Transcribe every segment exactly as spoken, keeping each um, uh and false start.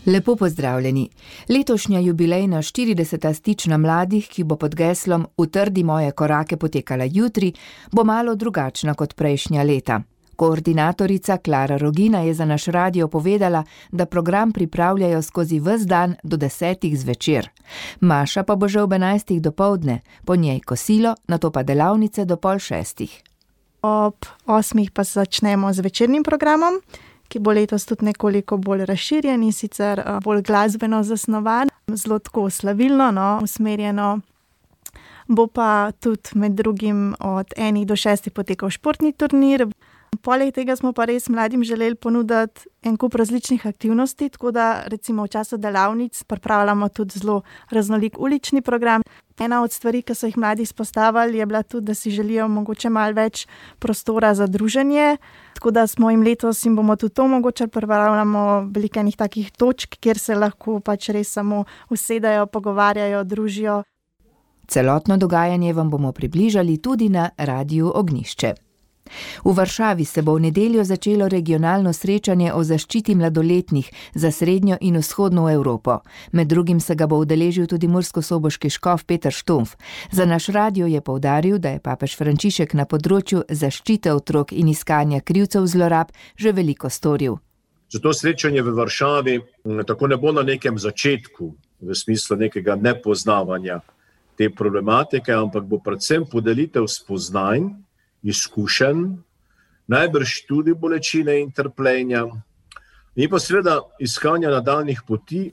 Lepo pozdravljeni. Letošnja jubilejna štirideseta stična mladih, ki bo pod geslom Utrdi moje korake potekala jutri, bo malo drugačna kot prejšnja leta. Koordinatorica Klara Rogina je za naš radio povedala, da program pripravljajo skozi ves dan do desetih zvečer. Maša pa bo že ob enajstih dopoldne, po njej kosilo, nato pa delavnice do pol šestih. Ob osmih pa začnemo z večernim programom, ki bo letos tudi nekoliko bolj razširjen in sicer bolj glasbeno zasnovan, zelo tako slavilno, no, usmerjeno. Bo pa tudi med drugim od enih do šestih potekal športni turnir. Poleg tega smo pa res mladim želeli ponuditi en kup različnih aktivnosti, tako da recimo v času delavnic pripravljamo tudi zelo raznolik ulični program. Ena od stvari, ki so jih mladi izpostavili, je bila tudi, da si želijo mogoče malo več prostora za druženje, tako da smo jim letos in bomo tudi to mogoče pripravljamo veliko enih takih točk, kjer se lahko pač res samo usedajo, pogovarjajo, družijo. Celotno dogajanje vam bomo približali tudi na Radiu Ognjišče. V Varšavi se bo v nedeljo začelo regionalno srečanje o zaščiti mladoletnih za srednjo in vzhodno Evropo. Med drugim se ga bo udeležil tudi murskosoboški škof Peter Štumpf. Za naš radio je poudaril, da je papež Frančišek na področju zaščite otrok in iskanja krivcev zlorab že veliko storil. Zato srečanje v Varšavi tako ne bo na nekem začetku, v smislu nekega nepoznavanja te problematike, ampak bo predvsem podelitev spoznanj, izkušenj, najbrž tudi bolečine in trpljenja, in pa seveda iskanja nadaljnjih poti,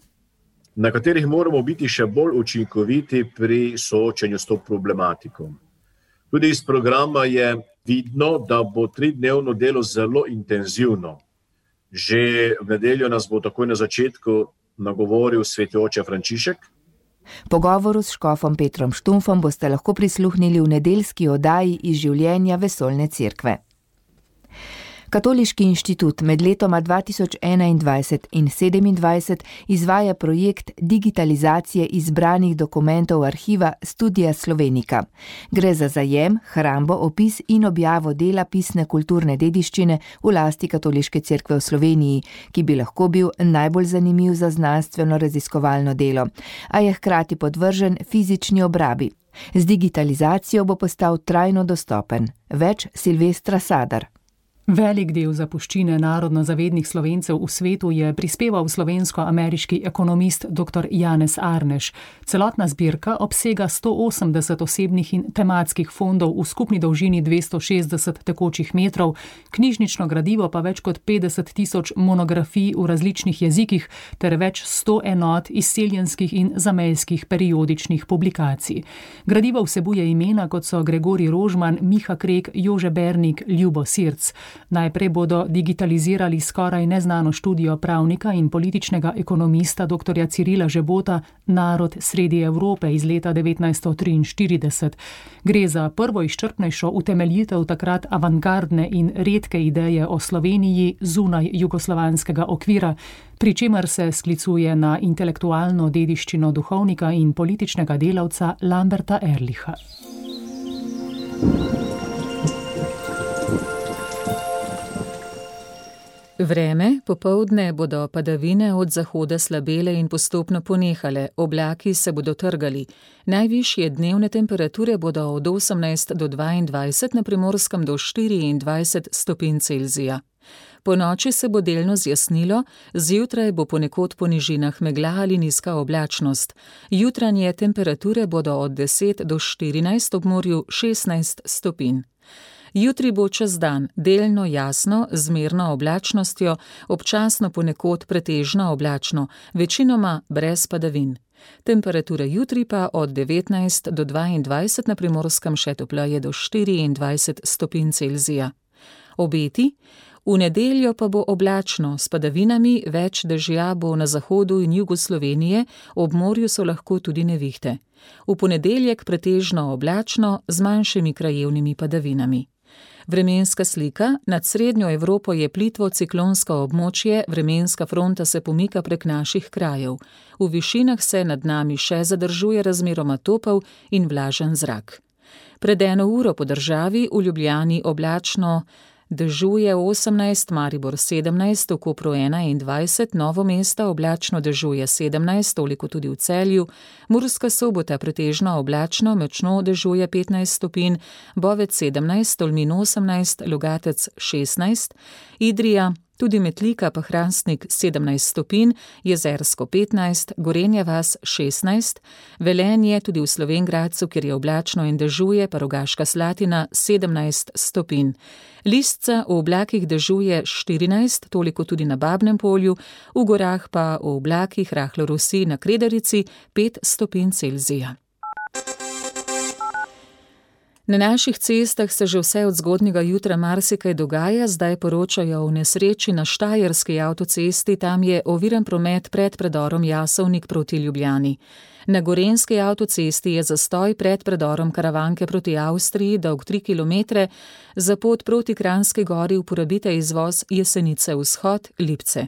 na katerih moramo biti še bolj učinkoviti pri soočanju s to problematiko. Tudi iz programa je vidno, da bo tridnevno delo zelo intenzivno. Že v nedeljo nas bo takoj na začetku nagovoril sveti oče Frančišek. Pogovoru s škofom Petrom Štumpfom boste lahko prisluhnili v nedeljski oddaji iz življenja Vesoljne cerkve. Katoliški inštitut med letoma dva tisoč enaindvajset in sedemindvajset izvaja projekt digitalizacije izbranih dokumentov arhiva Studia Slovenica. Gre za zajem, hrambo, opis in objavo dela pisne kulturne dediščine v lasti Katoliške cerkve v Sloveniji, ki bi lahko bil najbolj zanimiv za znanstveno raziskovalno delo, a je hkrati podvržen fizični obrabi. Z digitalizacijo bo postal trajno dostopen. Več Silvestra Sadar. Velik del zapuščine narodno-zavednih Slovencev v svetu je prispeval slovensko-ameriški ekonomist dr. Janez Arneš. Celotna zbirka obsega sto osemdeset osebnih in tematskih fondov v skupni dolžini dvesto šestdeset tekočih metrov, knjižnično gradivo pa več kot petdeset tisoč monografij v različnih jezikih ter več sto enot izseljenskih in zamejskih periodičnih publikacij. Gradivo vsebuje imena, kot so Gregorij Rožman, Miha Krek, Jože Bernik, Ljubo Sirc. Najprej bodo digitalizirali skoraj neznano študijo pravnika in političnega ekonomista dr. Cirila Žebota Narod sredi Evrope iz leta devetnajststo triinštirideset. Gre za prvo izčrpnejšo utemeljitev takrat avantgardne in redke ideje o Sloveniji zunaj jugoslovanskega okvira, pri čemer se sklicuje na intelektualno dediščino duhovnika in političnega delavca Lamberta Ehrlicha. Vreme, popoldne bodo padavine od zahoda slabele in postopno ponehale, oblaki se bodo trgali. Najvišje dnevne temperature bodo od osemnajst do dvaindvajset, na Primorskem do štiriindvajset stopinj Celzija. Po noči se bo delno zjasnilo, zjutraj bo ponekod po nižinah megla ali nizka oblačnost. Jutranje temperature bodo od deset do štirinajst, ob morju šestnajst stopinj. Jutri bo čez dan delno jasno, z zmerno oblačnostjo, občasno ponekod pretežno oblačno, večinoma brez padavin. Temperatura jutri pa od devetnajst do dvaindvajset, na Primorskem še topleje do štiriindvajset stopinj Celzija. Obeti? V nedeljo pa bo oblačno, s padavinami, več dežja bo na zahodu in jugu Slovenije, ob morju so lahko tudi nevihte. V ponedeljek pretežno oblačno, z manjšimi krajevnimi padavinami. Vremenska slika. Nad srednjo Evropo je plitvo ciklonsko območje, vremenska fronta se pomika prek naših krajev. V višinah se nad nami še zadržuje razmeroma topel in vlažen zrak. Pred eno uro po državi, v Ljubljani oblačno, Dežuje osemnajst, Maribor sedemnajst, v Kopru enaindvajset, Novo mesto oblačno dežuje sedemnajst, toliko tudi v Celju, Murska Sobota pretežno oblačno, močno dežuje petnajst stopinj, Bovec sedemnajst, Tolmin osemnajst, Logatec šestnajst, Idrija, tudi Metlika pa Hrastnik sedemnajst stopinj, Jezersko petnajst, Gorenja vas šestnajst, Velenje tudi v Slovenj Gradcu, kjer je oblačno in dežuje, pa Rogaška Slatina sedemnajst stopinj. Lisca v oblakih dežuje štirinajst, toliko tudi na Babnem Polju, v gorah pa v oblakih rahlo rosi na Kredarici pet stopinj Celzija. Na naših cestah se že vse od zgodnjega jutra marsikaj dogaja, zdaj poročajo o nesreči na Štajerski avtocesti, tam je oviran promet pred predorom Jasovnik proti Ljubljani. Na Gorenjski avtocesti je zastoj pred predorom Karavanke proti Avstriji, dolg tri kilometre, za pot proti Kranjski Gori uporabite izvoz Jesenice vzhod Lipce.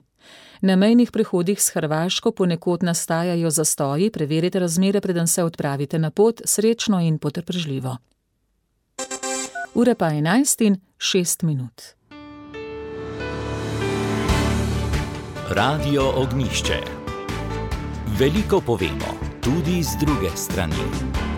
Na mejnih prehodih s Hrvaško ponekod nastajajo zastoji, preverite razmere, preden se odpravite na pot, srečno in potrpežljivo. Ura pa enajst in šest minut. Radio Ognjišče. Veliko povemo, tudi z druge strani.